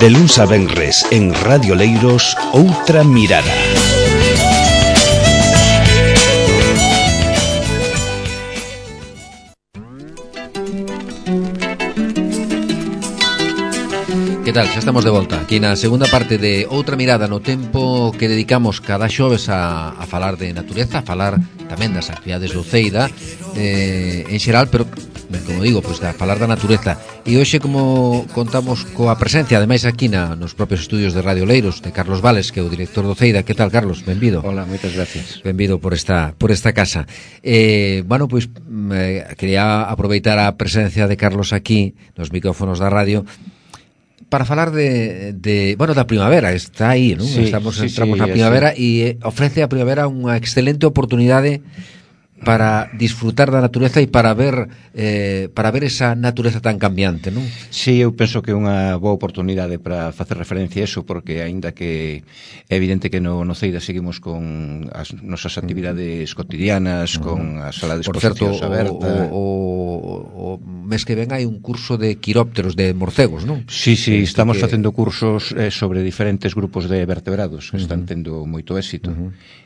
De luns a venres en Radio Leiros, Outra Mirada. Que tal? Xa estamos de volta aquí na segunda parte de Outra Mirada, no tempo que dedicamos cada xoves a falar de natureza, a falar tamén das actividades do Ceida en xeral, pero como digo, pois a falar da natureza. E hoxe, como contamos coa presencia ademais aquí nos propios estudios de Radio Leiros de Carlos Vales, que é o director do Ceida. Que tal, Carlos? Benvido. Hola, moitas gracias. Benvido por esta casa. Bueno, pois quería aproveitar a presencia de Carlos aquí nos micrófonos da radio para falar da primavera. Está aí, non? Sí, entramos sí, na primavera e ofrece a primavera unha excelente oportunidade para disfrutar da natureza e para ver esa natureza tan cambiante, non? Sí, eu penso que é unha boa oportunidade para facer referencia a eso, porque aínda que é evidente que no Ceida seguimos con as nosas actividades cotidianas, con a sala de exposicións aberta. O mes que ven hai un curso de quirópteros, de morcegos, non? Sí, estamos facendo cursos sobre diferentes grupos de vertebrados que están tendo moito éxito.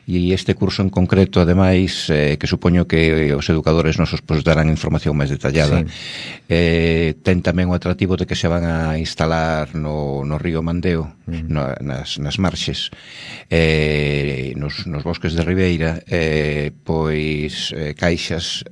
E este curso en concreto, ademais, que supoño que os educadores nosos darán información máis detallada, ten tamén o atractivo de que se van a instalar no río Mandeo, nas marxes, nos bosques de Ribeira, pois caixas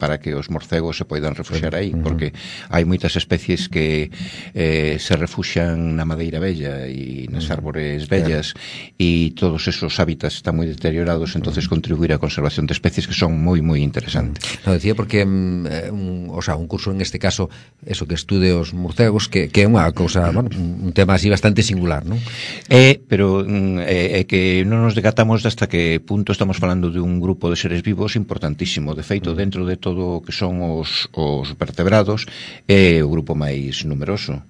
para que os morcegos se poidan refuxiar aí, porque hai moitas especies que se refuxian na madeira bella e nas árbores bellas, e todos esos hábitats están moi deteriorados, entonces contribuir á conservación de especies que son moi interesantes. Lo decía porque un curso en este caso, eso que estude os morcegos, que é unha cousa, bueno, un tema así bastante singular, non? Pero é que non nos decatamos hasta que punto estamos falando de un grupo de seres vivos importantísimo. De feito, dentro de todo o que son os vertebrados, é o grupo máis numeroso.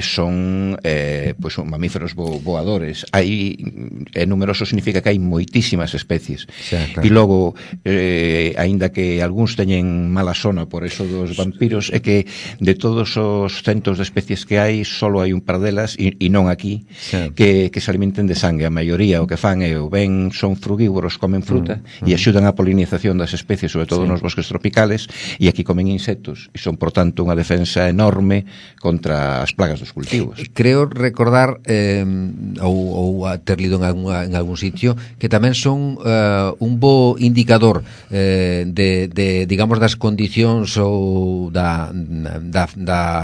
Son mamíferos voadores. Hai numeroso significa que hai moitísimas especies. Claro. E logo, aínda que algúns teñen mala sona por eso dos vampiros, é que de todos os centos de especies que hai, solo hai un par delas, e non aquí, que se alimenten de sangue. A maioría o que fan é son frugívoros, comen fruta e axudan á polinización das especies, sobre todo nos bosques tropicales, e aquí comen insectos, e son, por tanto, unha defensa enorme contra as plagas dos cultivos. Creo recordar, ou ter lido en algún sitio, que tamén son un bo indicador digamos, das condicións ou da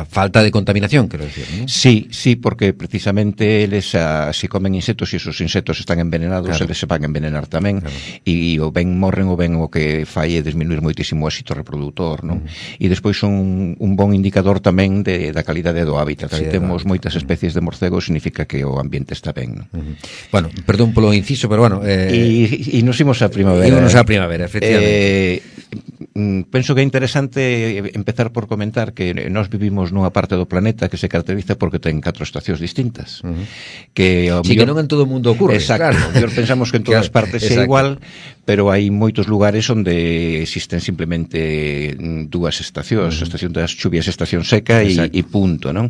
falta de contaminación, quero decir, non? Sí, porque precisamente eles, se comen insectos e esos insectos están envenenados, eles se van a envenenar tamén, e o ben morren, o ben o que fai é disminuir moitísimo o éxito reproductor, non? E despois son un bon indicador tamén da calidade do hábitat. Se temos moitas especies de morcegos, significa que o ambiente está ben, non? Bueno, perdón polo inciso, pero bueno... E nos imos a primavera. Efectivamente. Penso que é interesante empezar por comentar que nós vivimos nunha parte do planeta que se caracteriza porque ten 4 estacións distintas. Que non en todo o mundo ocurre. Exacto. Claro. Pensamos que en todas partes é igual, pero hai moitos lugares onde existen simplemente 2 estacións, a estación das chuvias, estación seca e punto, non?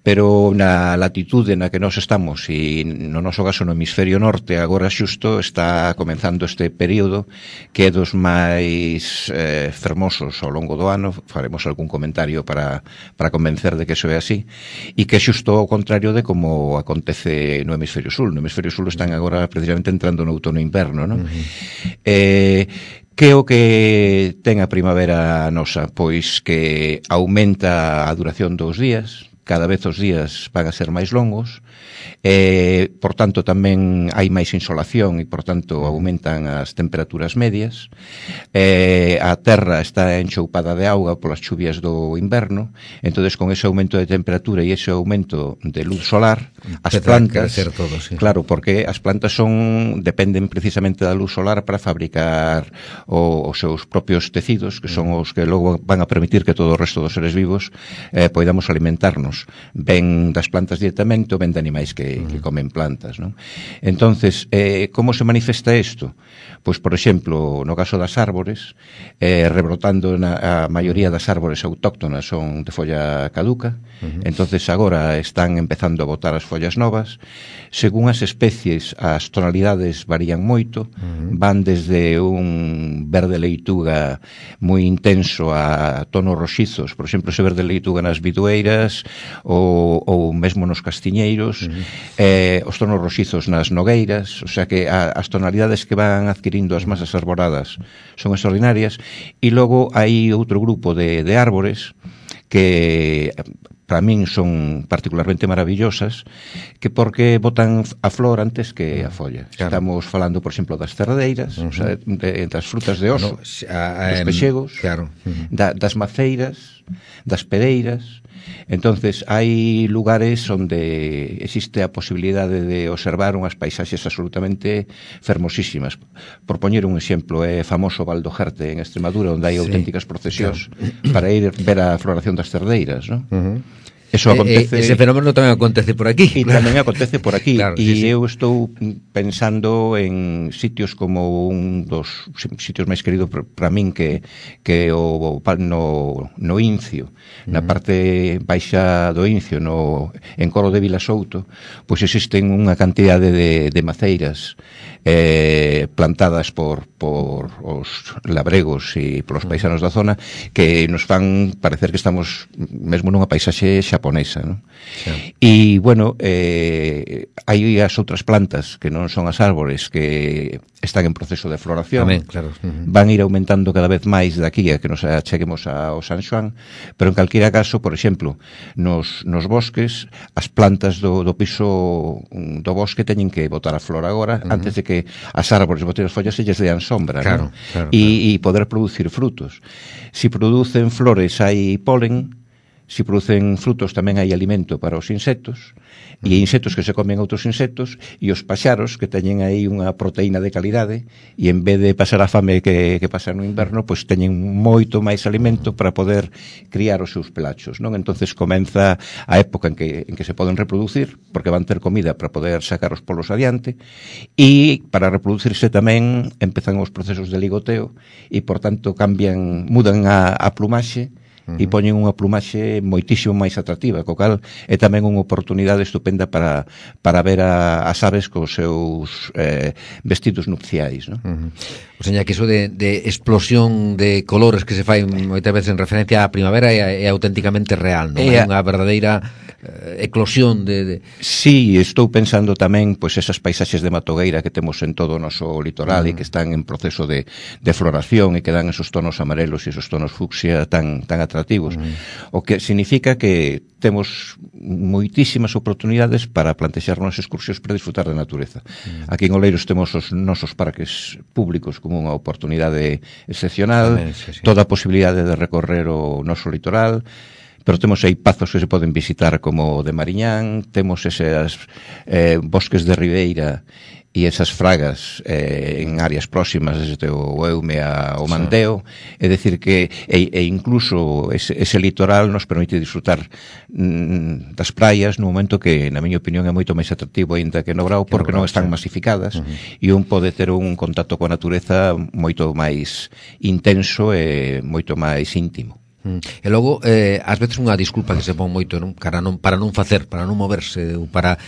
Pero na latitude na que nós estamos, e no noso caso no hemisferio norte, agora xusto está comenzando este período que é dos máis fermosos ao longo do ano. Faremos algún comentario para convencer de que eso é así, e que é xusto ao contrario de como acontece no hemisferio sul. No hemisferio sul están agora precisamente entrando no outono e inverno, non? Que é o que ten a primavera nosa? Pois que aumenta a duración dos días, cada vez os días van a ser máis longos, por tanto tamén hai máis insolación e por tanto aumentan as temperaturas medias, a terra está enchoupada de auga polas chuvias do inverno, entonces con ese aumento de temperatura e ese aumento de luz solar, as plantas, claro, porque as plantas dependen precisamente da luz solar para fabricar os seus propios tecidos, que son os que logo van a permitir que todo o resto dos seres vivos poidamos alimentarnos. humanos, ven das plantas directamente ou ven de animais que comen plantas, non? Entonces, como se manifesta isto? Pois, por exemplo, no caso das árbores, rebrotando a maioría das árbores autóctonas son de folla caduca, entonces agora están empezando a botar as follas novas. Según as especies, as tonalidades varían moito, van desde un verde leituga moi intenso a tonos roxizos, por exemplo, ese verde leituga nas bidueiras ou mesmo nos castiñeiros, os tonos roxizos nas nogueiras, o sea que as tonalidades que van adquirindo as masas arboradas son extraordinarias. E logo hai outro grupo de árbores que para min son particularmente maravillosas, que porque botan a flor antes que a folla. Claro. Estamos falando, por exemplo, das cerdeiras, o sea, das frutas de oso, dos pexegos, claro. Das maceiras, das pereiras. Entonces, hai lugares onde existe a posibilidade de observar unhas paisaxes absolutamente fermosísimas. Por poñer un exemplo, é famoso Val do Jerte en Extremadura, onde hai auténticas procesións para ir ver a floración das cerdeiras, non? Eso acontece... Ese fenómeno tamén acontece por aquí. E tamén acontece por aquí. Claro, eu estou pensando en sitios como un dos sitios máis queridos para min que no Incio, na parte baixa do Incio, en Coro de Vilasouto, pois existen unha cantidade de maceiras plantadas por os labregos e polos paisanos da zona que nos fan parecer que estamos mesmo nunha paisaxe xaponesa, non? Sí. E, bueno, hai as outras plantas que non son as árbores que están en proceso de floración. Tamén, claro. Van ir aumentando cada vez máis daqui a que nos acheguemos ao San Xoán, pero en calquera caso, por exemplo, nos bosques, as plantas do piso do bosque teñen que botar a flor agora, antes de que as árbores boten as follas e lles dean sombra, claro, ¿no? Claro. E poder producir frutos. Si producen flores hai polen, si producen frutos tamén hai alimento para os insectos, e insectos que se comen outros insectos, e os paxaros que teñen aí unha proteína de calidade, e en vez de pasar a fame que pasar no inverno, pois teñen moito máis alimento para poder criar os seus pelachos, non? Entonces comeza a época en que se poden reproducir, porque van ter comida para poder sacar os polos adiante, e para reproducirse tamén empezan os procesos de ligoteo, e por tanto mudan a plumaxe, e poñen unha plumaxe moitísimo máis atractiva, co cal é tamén unha oportunidade estupenda para ver as aves cos seus vestidos nupciais, non? O sea, que iso de explosión de colores que se fai moitas veces en referencia á primavera é auténticamente real, non? É unha verdadeira eclosión de... Sí, estou pensando tamén pois esas paisaxes de matogueira que temos en todo o noso litoral e que están en proceso de floración e que dan esos tonos amarelos e esos tonos fucsia tan atractivos, o que significa que temos moitísimas oportunidades para plantexarnos excursións para disfrutar da natureza. Aquí en Oleiros temos os nosos parques públicos como unha oportunidade excepcional, toda a posibilidade de recorrer o noso litoral, pero temos aí pazos que se poden visitar como o de Mariñán, temos eses bosques de ribeira e esas fragas en áreas próximas desde o Eume ao Mandeo, é dicir que incluso ese litoral nos permite disfrutar das praias no momento que, na miña opinión, é moito máis atractivo ainda que no Grao, porque non están masificadas e un pode ter un contacto coa natureza moito máis intenso e moito máis íntimo. E logo, ás veces unha disculpa que se pon moito, non? Para non facer, para non moverse ou para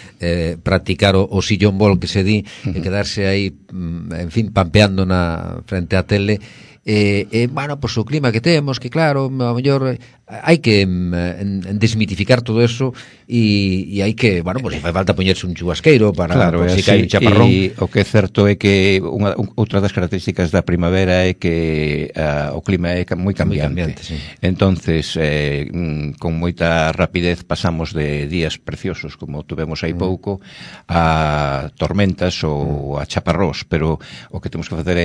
practicar o sillón bol que se di e quedarse aí, en fin, pampeando frente á tele. Bueno, pois o clima que temos, que claro, a mellor hai que desmitificar todo eso e hai que, bueno, pois fai falta poñerse un chubasqueiro para, claro, si cae un chaparrón. E o que é certo é que outra das características da primavera é que o clima é moi cambiante, sí. Entonces, con moita rapidez pasamos de días preciosos como tuvemos hai pouco a tormentas ou a chaparrós, pero o que temos que facer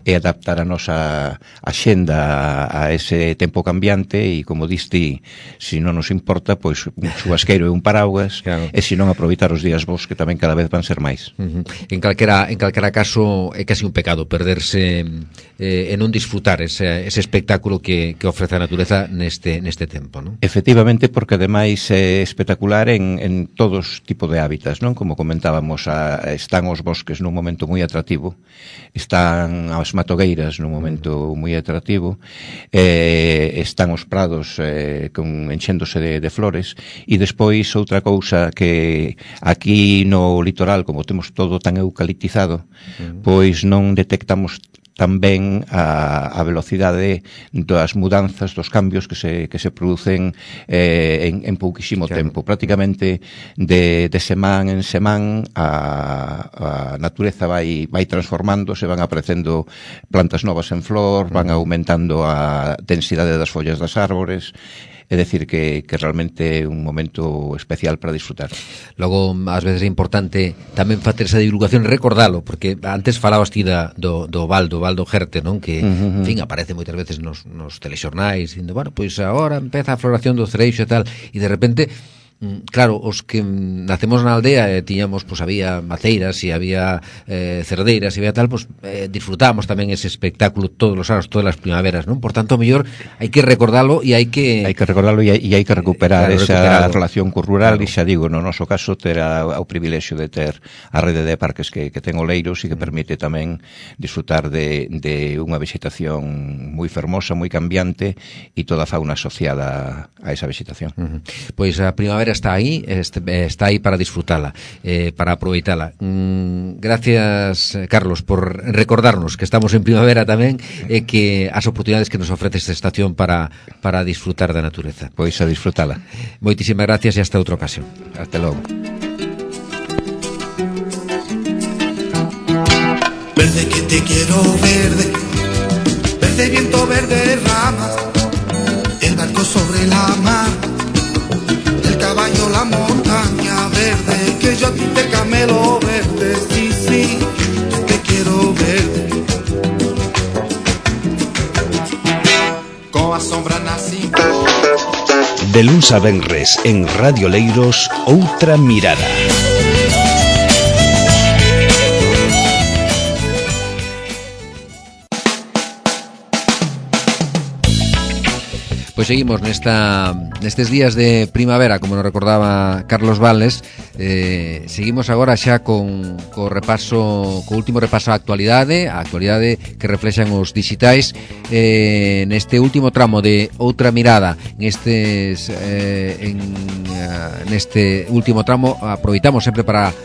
é adaptar a nosa axenda a ese tempo cambiante e, como como diste, se non nos importa, pois un chubasqueiro e un paraugas, claro. E se non aproveitar os días vos, que tamén cada vez van ser máis. En calquera caso é casi un pecado perderse e non disfrutar ese espectáculo que ofrece a natureza neste tempo, non? Efectivamente, porque ademais é espectacular en todos tipo de hábitats, non? Como comentábamos, están os bosques nun momento moi atractivo, están as matogueiras nun momento moi atractivo, están os prados enchéndose de flores, e despois outra cousa que aquí no litoral, como temos todo tan eucaliptizado, pois non detectamos tamén a velocidade das mudanzas, dos cambios que se producen en pouquísimo tempo. Prácticamente de semán en semán a natureza vai transformándose, van aparecendo plantas novas en flor, van aumentando a densidade das follas das árbores. É dicir que realmente é un momento especial para disfrutar. Logo, ás veces é importante tamén facer esa divulgación, recordalo, porque antes falabas ti do Valdo Gerte, non? Que, en fin, aparece moitas veces nos telexornais, dicindo, bueno, pois agora empeza a floración do cereixo e tal, e de repente... Claro, os que nacemos na aldea tiñamos, pois había maceiras e había cerdeiras e había tal, pois disfrutamos tamén ese espectáculo todos os anos, todas as primaveras, non? Por tanto, mellor hai que recordalo e hai que recordalo e hai que recuperar esa relación co rural, e xa digo, no noso caso ter o privilexio de ter a rede de parques que ten Oleiros e que permite tamén disfrutar de unha vegetación moi fermosa, moi cambiante e toda a fauna asociada a esa vegetación. Pois a primavera está aí para disfrutala, para aproveitala. Gracias, Carlos, por recordarnos que estamos en primavera tamén e que as oportunidades que nos ofrece esta estación para disfrutar da natureza. Pois a disfrutala. Moitísimas gracias e hasta outra ocasión. Hasta logo. Verde que te quiero verde, verde viento, verde ramas, el barco sobre la mar, caballo, la montaña verde, que yo a ti te camelo verde, sí, te quiero verde. Con a sombra nací. De luns a venres en Radio Leiros, outra mirada. Pois seguimos nestes días de primavera, como nos recordaba Carlos Vales. Seguimos agora xa co último repaso á actualidade que reflexan os digitais neste último tramo de Outra Mirada. Neste último tramo aproveitamos sempre para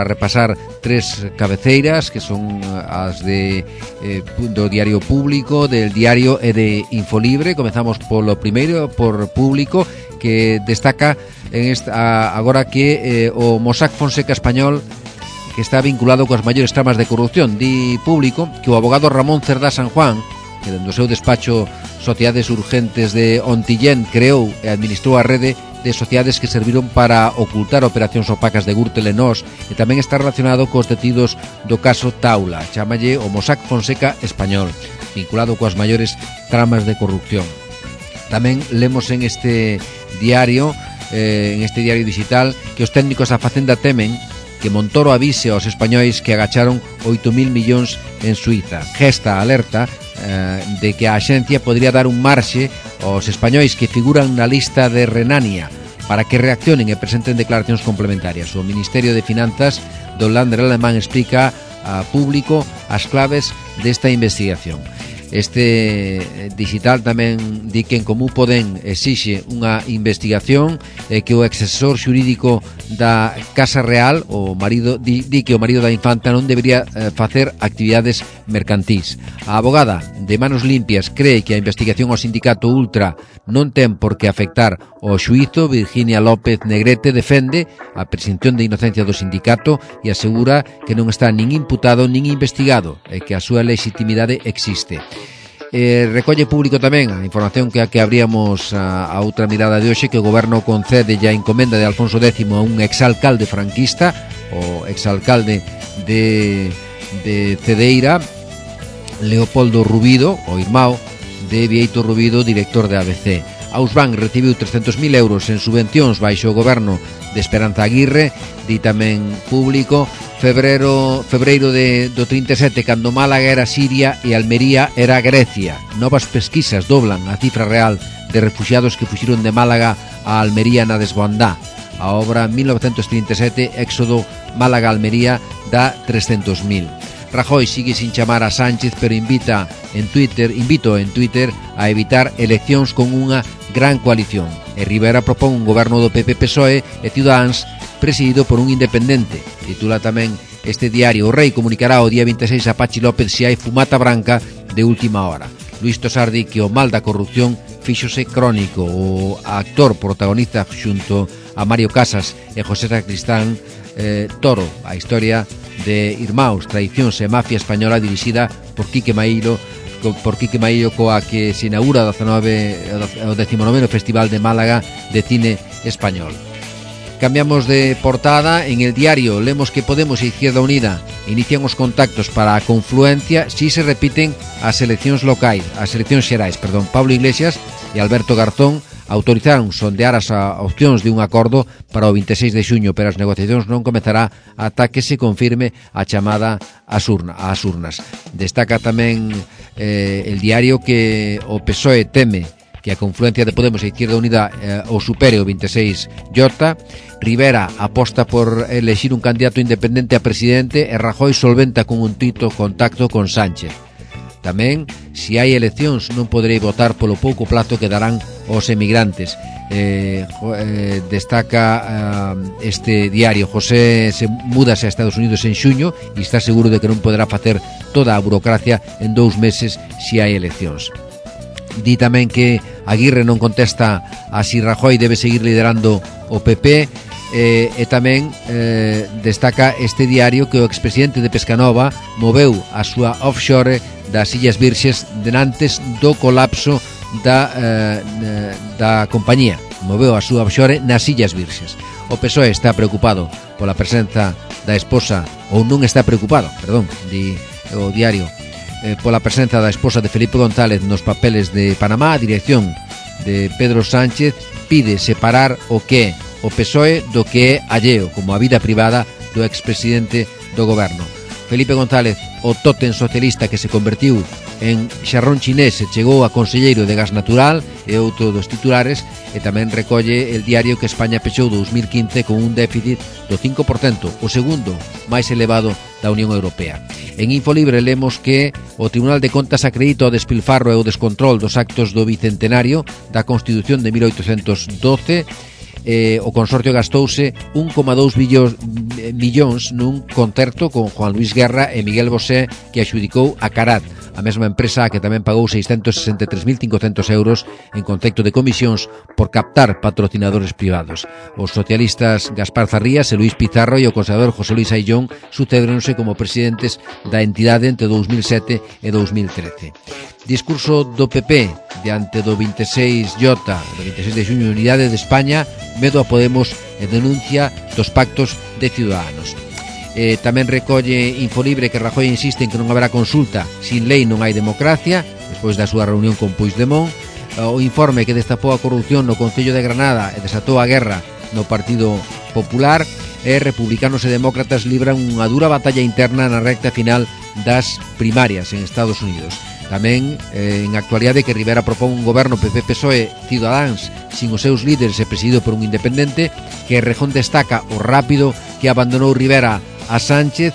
repasar tres cabeceiras que son as do Diario Público, del Diario e de Infolibre. Comezamos polo primeiro, por Público, que destaca agora que o Mossack Fonseca español, que está vinculado coas maiores tramas de corrupción. Di Público que o abogado Ramón Cerdá San Juan, que dentro do seu despacho Sociedades Urgentes de Ontillén creou e administrou a rede de sociedades que serviron para ocultar operacións opacas de Gürtel e Nós, e tamén está relacionado cos detidos do caso Taula. Chámalle o Mossack Fonseca español, vinculado coas maiores tramas de corrupción. Tamén lemos en este diario digital, que os técnicos da Facenda temen que Montoro avise aos españois que agacharon 8.000 millóns en Suiza. Gesta alerta de que a axencia podría dar un marxe aos españois que figuran na lista de Renania para que reaccionen e presenten declaracións complementarias. O Ministerio de Finanzas do Länder alemán explica a Público as claves desta investigación. Este digital tamén di que en Común Podem exixe unha investigación que o exesor xurídico da Casa Real, o marido, di que o marido da infanta non debería facer actividades mercantís. A abogada de Manos Limpias cree que a investigación ao sindicato Ultra non ten por que afectar o xuízo. Virginia López Negrete defende a presunción de inocencia do sindicato e asegura que non está nin imputado nin investigado e que a súa legitimidade existe. Recolle Público tamén a información que abríamos a outra mirada de hoxe, que o goberno concede a encomenda de Alfonso X a un exalcalde franquista, o exalcalde de Cedeira, Leopoldo Rubido, o irmão de Vieito Rubido, director de ABC. Ausban recibiu 300.000 euros en subvencións baixo o goberno de Esperanza Aguirre. Di tamén Público, febreiro do 37, cando Málaga era Siria e Almería era Grecia. Novas pesquisas doblan a cifra real de refugiados que fuxiron de Málaga a Almería na desbandá. A obra 1937, éxodo Málaga-Almería, dá 300.000. Rajoy sigue sin chamar a Sánchez, pero invito en Twitter a evitar eleccións con unha gran coalición. E Rivera propón un goberno do PP-PSOE e Ciudadanos presidido por un independente. Titula tamén este diario: O Rei comunicará o día 26 a Pachi López se hai fumata branca de última hora. Luis Tosar di que o mal da corrupción fíxose crónico. O actor protagonista xunto a Mario Casas e José Sacristán Toro, a historia de Irmáus, traicións e mafia española, dirixida por Quique Maíllo, coa que se inaugura o 19º Festival de Málaga de Cine Español. Cambiamos de portada. En El Diario lemos que Podemos e Izquierda Unida inician os contactos para a confluencia si se repiten as eleccións xerais. Pablo Iglesias e Alberto Garzón autorizaron sondear as opcións de un acordo para o 26 de xuño, pero as negociacións non comezará ata que se confirme a chamada ás urnas. Destaca tamén El Diario que o PSOE teme que a confluencia de Podemos e Izquierda Unida o supere o 26J. Rivera aposta por elexir un candidato independente a presidente e Rajoy solventa con un tito contacto con Sánchez. Tamén, se hai eleccións, non poderei votar polo pouco plazo que darán os emigrantes. Destaca este diario: José se múdase a Estados Unidos en xuño e está seguro de que non poderá facer toda a burocracia en 2 meses se hai eleccións. Di tamén que Aguirre non contesta a si Rajoy debe seguir liderando o PP. E tamén destaca este diario que o expresidente de Pescanova moveu a súa offshore das Illas Virxes denantes do colapso da compañía. Moveu a súa offshore nas Illas Virxes. O PSOE está preocupado pola presenza da esposa, ou non está preocupado, di o diario, pola presenza da esposa de Felipe González nos papeles de Panamá. A dirección de Pedro Sánchez pide separar o que o PSOE do que é alleo, como a vida privada do expresidente do goberno. Felipe González, o tótem socialista que se convertiu en xarrón chinés e chegou a conselleiro de gas natural, e outro dos titulares. E tamén recolle El Diario que España pechou 2015 con un déficit do 5%, o segundo máis elevado da Unión Europea. En Infolibre lemos que o Tribunal de Contas acredita o despilfarro e o descontrol dos actos do bicentenario da Constitución de 1812. O consorcio gastouse 1,2 millóns nun concerto con Juan Luis Guerra e Miguel Bosé, que adxudicou a Carat, a mesma empresa a que tamén pagou 663.500 euros en concepto de comisións por captar patrocinadores privados. Os socialistas Gaspar Zarrías e Luis Pizarro e o conservador José Luis Aillón sucedéronse como presidentes da entidade entre 2007 e 2013. Discurso do PP diante do 26J, do 26 de xuño, Unidade de España, medo a Podemos e denuncia dos pactos de Ciudadanos. Tamén recolle Infolibre que Rajoy insiste en que non haberá consulta, sin lei non hai democracia, despois da súa reunión con Puigdemont. O informe que destapou a corrupción no Concello de Granada e desatou a guerra no Partido Popular. E republicanos e demócratas libran unha dura batalla interna na recta final das primarias en Estados Unidos. Tamén en actualidade que Rivera propón un goberno PP-PSOE Ciudadanos sin os seus líderes e presidido por un independente, que Rejón destaca o rápido que abandonou Rivera a Sánchez.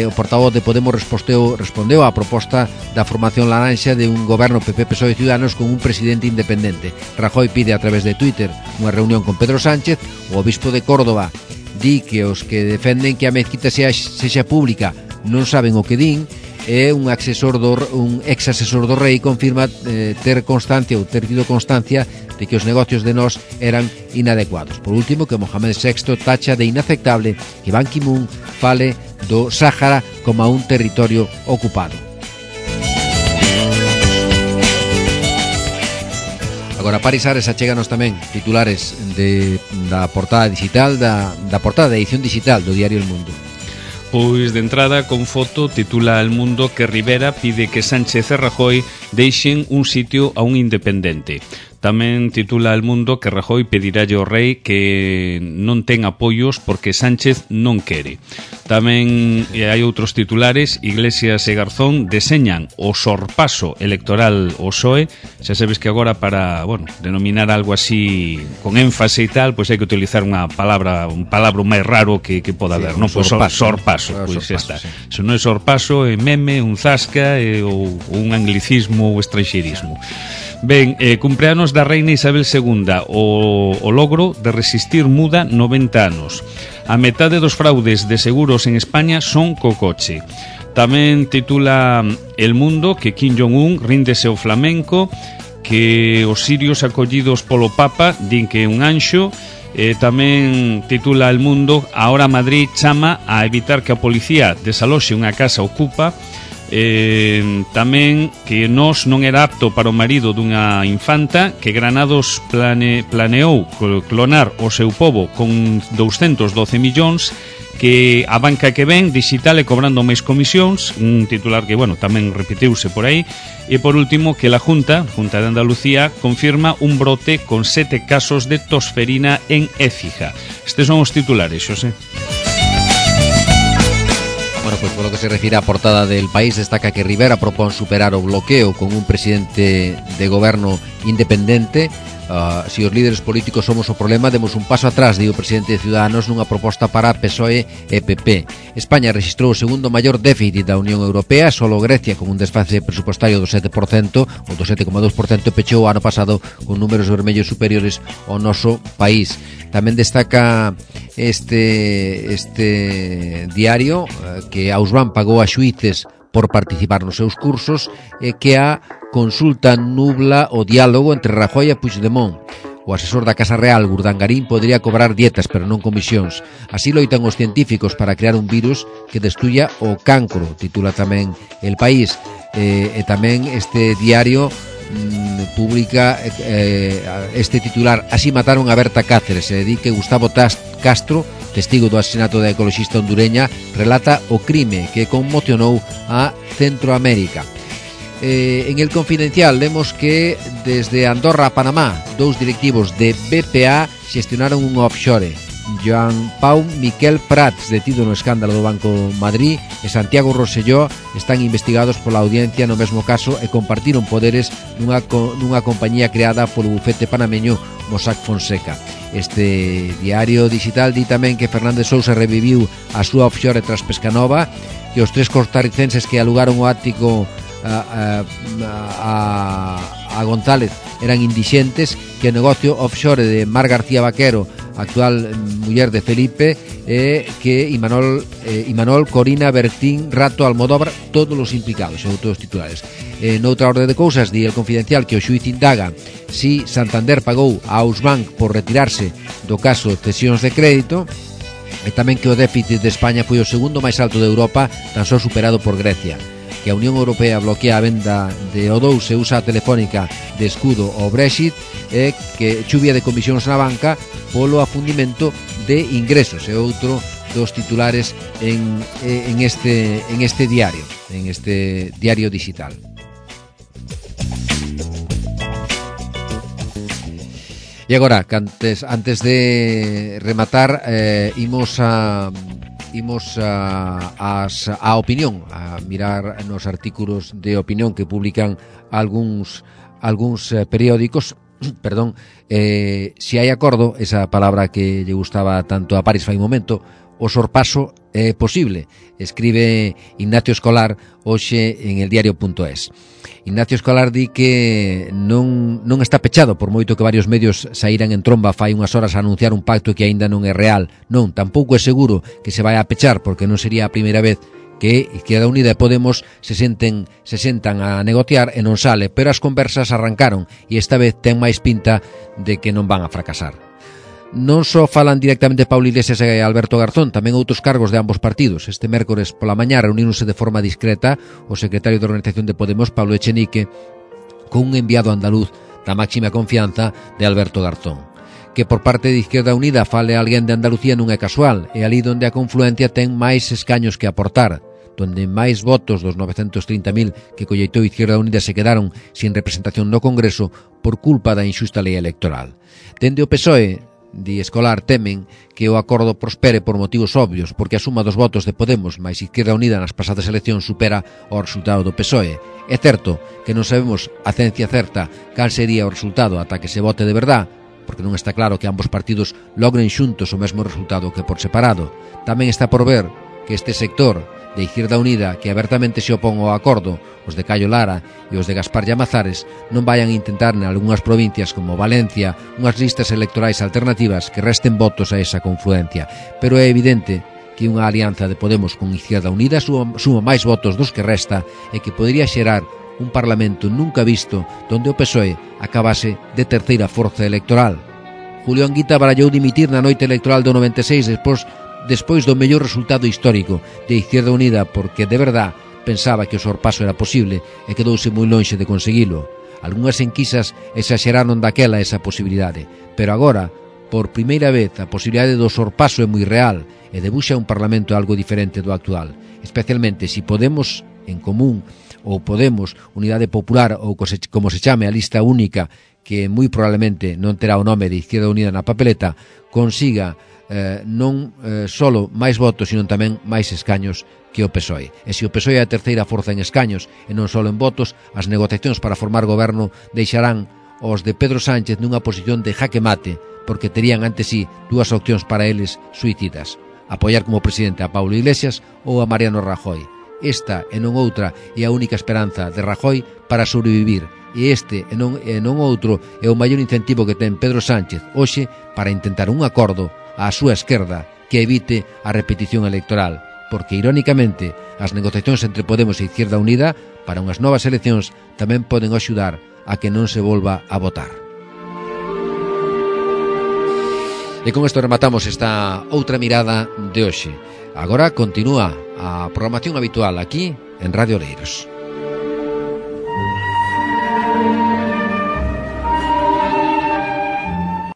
O portavoz de Podemos respondeu á proposta da formación laranxa de un goberno PP-PSOE Ciudadanos con un presidente independente. Rajoy pide a través de Twitter unha reunión con Pedro Sánchez. O obispo de Córdoba di que os que defenden que a mezquita sexa pública non saben o que din. E un ex asesor do rei confirma ter tido constancia de que os negocios de Nós eran inadecuados. Por último, que Mohamed VI tacha de inaceptable que Ban Ki-moon fale do Sáhara como a un territorio ocupado. Agora, Paris Ares, achéganos tamén titulares da portada digital, da portada de edición digital do diario El Mundo. Pois de entrada, con foto, titula El Mundo que Rivera pide que Sánchez e Rajoy deixen un sitio a un independente. Tamén titula El Mundo que Rajoy pedirálle ao rei que non ten apoios porque Sánchez non quere. Tamén hai outros titulares. Iglesias e Garzón deseñan o sorpaso electoral ao PSOE. Xa sabes que agora para, denominar algo así con énfase e tal, pois hai que utilizar un palabra máis raro que poda haber, non? Pois sorpaso, pois xa está. Se non é sorpaso, é meme, un zasca ou un anglicismo ou estranxeirismo. Ben, cumpleanos da reina Isabel II. O logro de resistir muda 90 anos. A metade dos fraudes de seguros en España son co coche. Tamén titula El Mundo que Kim Jong-un ríndese ao flamenco, que os sirios acollidos polo Papa din que é un anxo. Tamén titula El Mundo Ahora Madrid chama a evitar que a policía desaloxe unha casa ocupa. Tamén que Nós non era apto para o marido dunha infanta, que Granados planeou clonar o seu pobo con 212 millóns, que a banca que ven digital e cobrando máis comisións, un titular que, tamén repetiuse por aí. E por último, que la Junta de Andalucía confirma un brote con 7 casos de tosferina en Écija. Estes son os titulares, Xosé. Bueno, pues por lo que se refiere á portada del País, destaca que Rivera propón superar o bloqueo con un presidente de goberno independente. Si os líderes políticos somos o problema, demos un paso atrás, di o presidente de Ciudadanos nunha proposta para PSOE e PP. España registrou o segundo maior déficit da Unión Europea, solo Grecia, con un desfase presupostario do 7%, ou do 7,2%, pechou o ano pasado con números vermellos superiores ao noso país. Tamén destaca este diario que Ausban pagou a xuíces por participar nos seus cursos e que a consulta nubla o diálogo entre Rajoy e Puigdemont. O asesor da Casa Real, Urdangarín, podría cobrar dietas, pero non comisións. Así loitan os científicos para crear un virus que destruya o cancro, titula tamén El País. E tamén este diario publica este titular: Así mataron a Berta Cáceres. Se dedique Gustavo Castro, testigo do asesinato da ecoloxista hondureña, relata o crime que conmocionou a Centroamérica. En El Confidencial lemos que desde Andorra a Panamá 2 directivos de BPA xestionaron un offshore. Joan Pau Miquel Prats, detido no escándalo do Banco Madrid, e Santiago Rosselló están investigados pola audiencia no mesmo caso e compartiron poderes nunha compañía creada polo bufete panameño Mossack Fonseca. Este diario digital di tamén que Fernández Sousa reviviu a súa offshore tras Pescanova, que os 3 costarricenses que alugaron o ático a González eran indixentes, que o negocio offshore de Mar García Vaquero, actual muller de Felipe, que Imanol, Corina, Bertín, Rato, Almodóvar, todos os implicados, son todos titulares. Noutra orde de cousas, di El Confidencial que o xuíz indaga si Santander pagou a Ausbank por retirarse do caso de cesións de crédito, e tamén que o déficit de España foi o segundo máis alto de Europa, tan só superado por Grecia. Que a Unión Europea bloquea a venda de O2 e usa a Telefónica de escudo ao Brexit, e que chuvia de comisións na banca polo afundimento de ingresos. É outro dos titulares en este diario digital. E agora, antes de rematar, imos a opinión, a mirar nos artículos de opinión que publican algúns periódicos. Perdón, si hai acordo, esa palabra que lle gustaba tanto a Paris fai un momento, o sorpaso é posible, escribe Ignacio Escolar hoxe en el diario.es. Ignacio Escolar di que non está pechado, por moito que varios medios saíran en tromba fai unhas horas a anunciar un pacto que aínda non é real. Non, tampouco é seguro que se vai a pechar, porque non sería a primeira vez que Izquierda Unida e Podemos se sentan a negociar e non sale, pero as conversas arrancaron e esta vez ten máis pinta de que non van a fracasar. Non só falan directamente Pablo Iglesias e Alberto Garzón, tamén outros cargos de ambos partidos. Este mércores pola mañá reuníronse de forma discreta o secretario de Organización de Podemos, Pablo Echenique, con un enviado andaluz da máxima confianza de Alberto Garzón. Que por parte de Izquierda Unida fale alguén de Andalucía non é casual, é ali onde a confluencia ten máis escaños que aportar. donde máis votos dos 930.000 que colleitou Izquierda Unida se quedaron sin representación no Congreso por culpa da inxusta lei electoral. Dende o PSOE, di Escolar, temen que o acordo prospere por motivos obvios, porque a suma dos votos de Podemos máis Izquierda Unida nas pasadas eleccións supera o resultado do PSOE. É certo que non sabemos a ciencia certa cal sería o resultado ata que se vote de verdad, porque non está claro que ambos partidos logren xuntos o mesmo resultado que por separado. Tamén está por ver que este sector de Izquierda Unida, que abertamente se opón ao acordo, os de Cayo Lara e os de Gaspar Llamazares, non vayan a intentar en algunhas provincias como Valencia unhas listas electorais alternativas que resten votos a esa confluencia. Pero é evidente que unha alianza de Podemos con Izquierda Unida suma máis votos dos que resta e que podría xerar un parlamento nunca visto donde o PSOE acabase de terceira forza electoral. Julio Anguita barallou dimitir na noite electoral do 96 despois do mellor resultado histórico de Izquierda Unida, porque de verdad pensaba que o sorpaso era posible e quedouse moi lonxe de conseguilo. Algúnas enquisas exaxeraron daquela esa posibilidade, pero agora, por primeira vez, a posibilidade do sorpaso é moi real e debuxa un parlamento algo diferente do actual, especialmente se Podemos en Común ou Podemos, Unidade Popular ou como se chame a lista única, que moi probablemente non terá o nome de Izquierda Unida na papeleta, consiga non solo máis votos, sino tamén máis escaños que o PSOE. E se o PSOE é a terceira forza en escaños e non solo en votos, as negociacións para formar goberno deixarán os de Pedro Sánchez nunha posición de jaque mate, porque terían ante sí dúas opcións para eles suicidas: apoiar como presidente a Pablo Iglesias ou a Mariano Rajoy. Esta e non outra é a única esperanza de Rajoy para sobrevivir, e este e non outro é o maior incentivo que ten Pedro Sánchez hoxe para intentar un acordo á súa esquerda que evite a repetición electoral, porque irónicamente as negociacións entre Podemos e Izquierda Unida para unhas novas eleccións tamén poden axudar a que non se volva a votar. E con isto rematamos esta outra mirada de hoxe. Agora continúa a programación habitual aquí en Radio Oleiros.